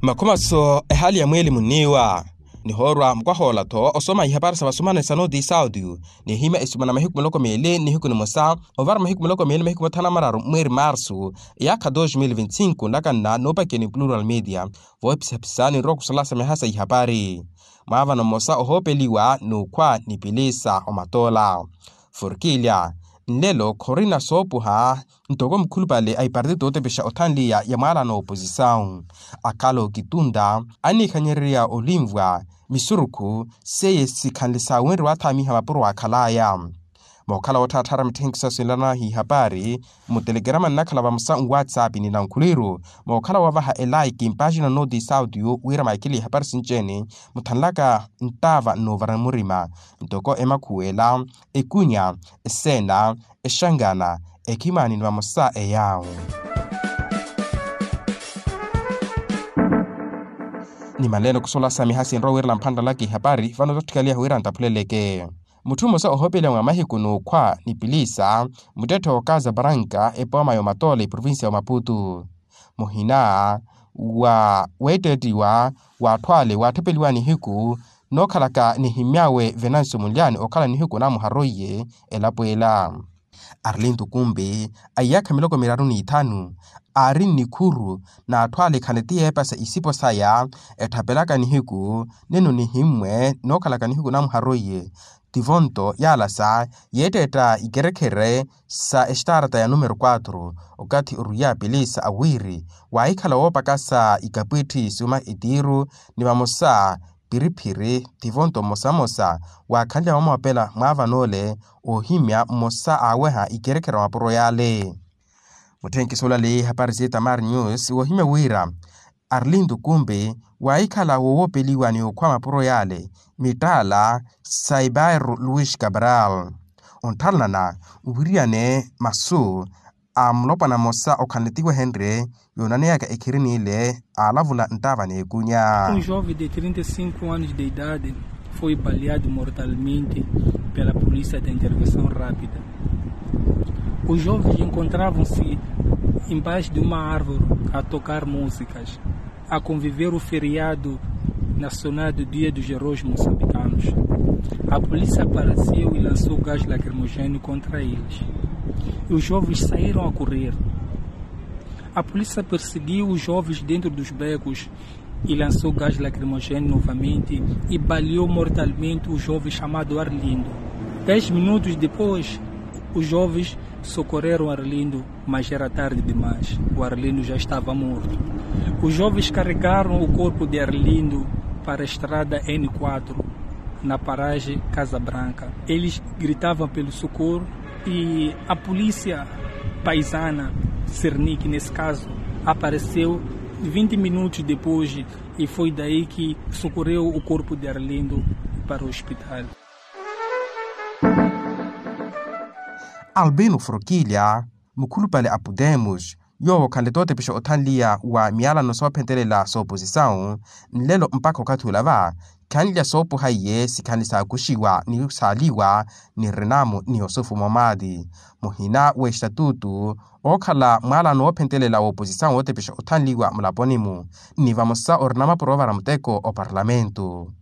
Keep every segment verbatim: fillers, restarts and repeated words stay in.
Makhumaso ehaali ya mweeli munniiwa. Nihoorwa mukwahoola-tho osoma ihapari sa vasumane sa nooti sautiyu, nihimya esumana mahiku miloko miili nihiku nimosa, ovara mahiku miloko miili mahiku mathanu na mararu mweeri marsu, eyaakha dos mil vinti cinco nlakanna noopakiya ni plural media. Voohipisapisa ninrowa okusala sa mihaha sa ihapari. Mwaavano mmosa ohoopeliwa n'ukhwa ni pilisa omatoola. Forkilya, nlelo khorina soopuha. Ntoko mukhulupale a ipartito otepexa othanliya ya mwaalano wa oposisawu, akhala okitunta, anniikhanyererya olinvwa misurukhu seiye sikhanle saawenrye waathaamiha mapuro waakhalaya. Mookhala woottharatthara mitthenkisa sinlana ihapari, mutelekerama nnakhala vamosa nwatsapp ni nankhuliru, mookhala woovaha elaiki mpaaxina nooti sautiyu wira maikili ihapari sinci-ene, muthanlaka nttaava nnoovara murima, ntoko emakhuwela, ekunya, eseena, exangana, ekhimaani ni vamosa eyaawo. Ni manleene okusola sa mihaha sinrowa wiirela mphantta nlaka ihapari vano totthikaliha wira nttaphuleleke. Mutthu mmosa ohoopeliwa mwa mahiku n'ukhwa ni pilisa, muttetthe wa kaza branka epooma ya omatoola eprovincia ya omaputu, muhina wa weettettiwa w'atthu ale waatthapeliwa nihiku nookhalaka nihimy'awe venancio munlyani okhala nihiku namuharoiye elapo ela. Arlindo kumpi, a iyaakha miloko miraru n'ithanu, aari nnikhuru n'atthu ale khale ti yeepasa isipo saya etthapelaka nihiku nino nihimmwe nookhalaka nihiku namuharoiye. Tivonto yaalasa yeetteetta ikerekhere sa extarata ya numero quatro, okathi orwiya pilisa awiiri waahikhala woopakasa ikapwitthi suma itiiru ni vamosa piriphiri tivonto mmosamosa waakhanlya vamoopela mwaavanoole oohimya mmosa aaweha ikerekhere mapuro yaale. Mutthenkiso olale hapari z'itamar news woohimya wira arlindo kumpi waahikhala wowoopeliwa ni okhwa mapuro yaale mittaala sa ibairo luis cabral. Ontthalanana nwiriyane masu a mulopwana mmosa okhanle tiwehenrye yoonaneyaka ekhirini ile aalavula nttaava n'ekunya. Um jovem de trinta e cinco anos de idade foi baleado mortalmente pela polícia de intervenção rápida. Os jovens encontravam-se embaixo de uma árvore a tocar músicas, a conviver o feriado nacional do Dia dos Heróis Moçambicanos. A polícia apareceu e lançou gás lacrimogéneo contra eles. E os jovens saíram a correr. A polícia perseguiu os jovens dentro dos becos e lançou gás lacrimogéneo novamente e baleou mortalmente o jovem chamado Arlindo. Dez minutos depois, os jovens socorreram Arlindo, mas era tarde demais. O Arlindo já estava morto. Os jovens carregaram o corpo de Arlindo para a estrada N quatro, na paragem Casa Branca. Eles gritavam pelo socorro e a polícia paisana, Sernic nesse caso, apareceu vinte minutos depois e foi daí que socorreu o corpo de Arlindo para o hospital. Albino Frokilya, mukhulupale a Podemos, yoowo khanle tootepixa othanliya wa miyalano soophentelela sooposisawu, nlelo mpakha okathi ula va khanlya soopuha iye sikhanle saakuxiwa ni saaliwa ni renamu ni osufu momati, muhina w'estatutu ookhala mwalano woophentelela wooposisawu wootepixa othanliwa mulaponi-mu, ni vamosa orina mapuro oovara muteko oparlamentu.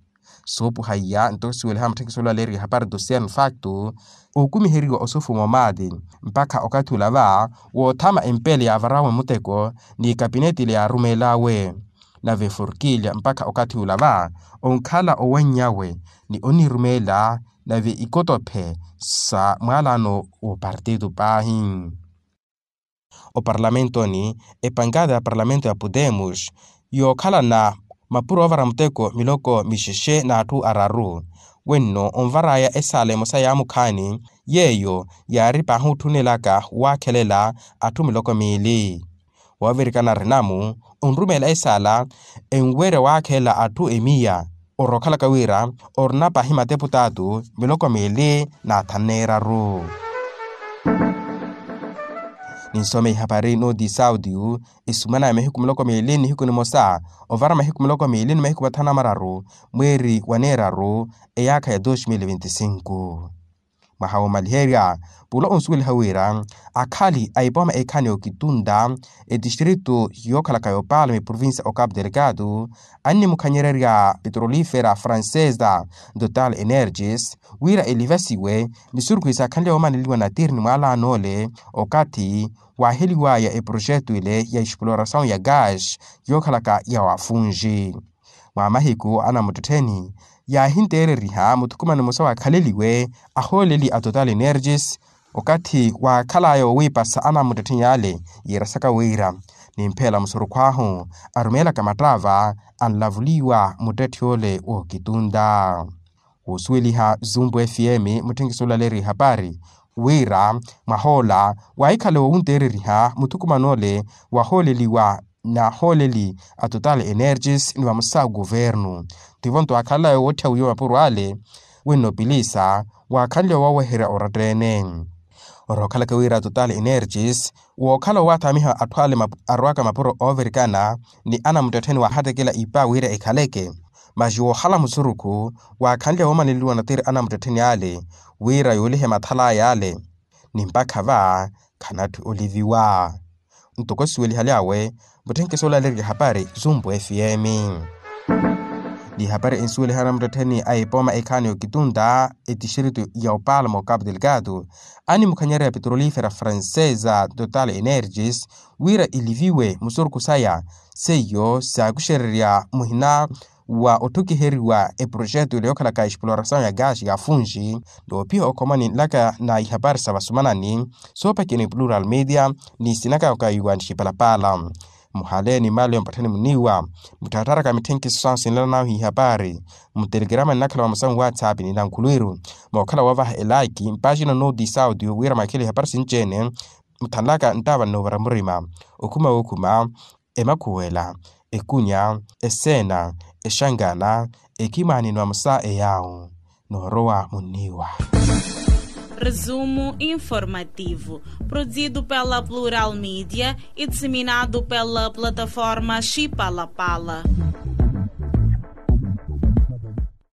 Soopuha iya ntoko siweliha mutthekisi olaleeriwa ehapari tosiya nfaktu, ookumiheriwa osufu momati mpakha okathi ula va woothama empele yaavarawe muteko ni kapineti ile yaarumeelawe. Nave forkilya mpakha okathi ula va onkhala owanyawe ni onirumeela nave ikotophe sa mwalano woopartito paahi. Oparlamentoni, epankata ya parlamento ya podemos yookhalana mapuro oovara muteko miloko mixexe n'atthu araru, wenno onvaraya esaala emosa yaamukhaani yeeyo yaari paahi otthuneelaka waakhelela atthu miloko miili. Woovirikana renamu onrumeela esaala enwerya waakhelela atthu emiya, orookhalaka wira orina paahi mateputaatu miloko miili n'athanu n'eraru. Ninsome ihapari nooti saudiyu esumana ya mahiku miloko miili nihiku nimosa ovara mahiku miloko miili ni mahiku mathanu na mararu mweeri wa neeraru eyaakha ya dos mil vinti cinco. Mwaha woomaliherya, pula onsuweliha wira akhali a ipooma ekhani y'okitunta etistritu yookhalaka yoopalama eprovincia o capu delgado annimukhanyeryerya petrolifera francesa total energies wira elivasiwe misurukhu isaakhanlya woomaneliwa natiri ni mwalaan'ole okathi waaheliwaya eprojetu ile ya explorasaw ya gas yookhalaka ya wafunji. Mwa mahiku anamuttettheni yaahinteereriha muthukumano mmosa waakhaleliwe ahooleli a total energies okathi waakhalaya owiipasa anamuttettheni ale yiirasaka wira nimpheela musurukhu ahu arumeelaka mattaava anlavuliwa muttetthi ole wookitunta. Wosuweliha zumpu fm mutthenkiso olaleeriwa ihapari wira mwahoola waahikhala woowunteereriha muthukumano ole wahooleliwa n'ahooleli a total energies ni vamosa kuvernu. Tivo nto waakhalalaya wootthya wiiwa mapuro ale winnopilisa waakhanle wooweherya oratta-ene. Orookhalaka wira total energies wookhala owaathamiha atthu ale arwaka mapuro oovirikana ni anamuttettheni waahatekela ipa wira ekhaleke. Masi woohala musurukhu waakhanlya woomaneliwa natiri anamuttettheni ale wira yoolihe mathalaya ale ni mpakha va khanatthu oliviwa. Ntoko siwelihaly'awe mutthenkeso olaleeriwa ihapari zumpu fm. Ni ihapari ensuweliha anamuttettheni a epooma ekhaani y'okitunta etixiritu ya opalma okapu delgado animukhanyereya petrolifera francesa total energies wira iliviwe musurukhu saya seiyo saakuxererya muhina wa otthukiheriwa eprojetu ile yookhalaka explorasaw ya gasi ya funji. Noopiha okhomani nlaka na ihapari sa vasumanani soopakeni plural media ni sinaka okaiwa nixipalapala. Muhale ni mali ompatthani muniiwa mutthattharaka mitthenkiso sansinlana nahu ihapari mutelekerama nnakhala vamosa nwatsapi ni nankhulwiru mookhala woovaha elaiki mpaaxina nooti sauti wira mwakhele ihapari sinci-ene. Muthanlaka nttaava nnoovara murima okhuma wookhuma emakhuwela ekunya eseena exankana ekimaani ni vamosa eyaawu noorowa munniiwa. Resumo informativo produzido pela plural media e disseminado pela plataforma xipalapala.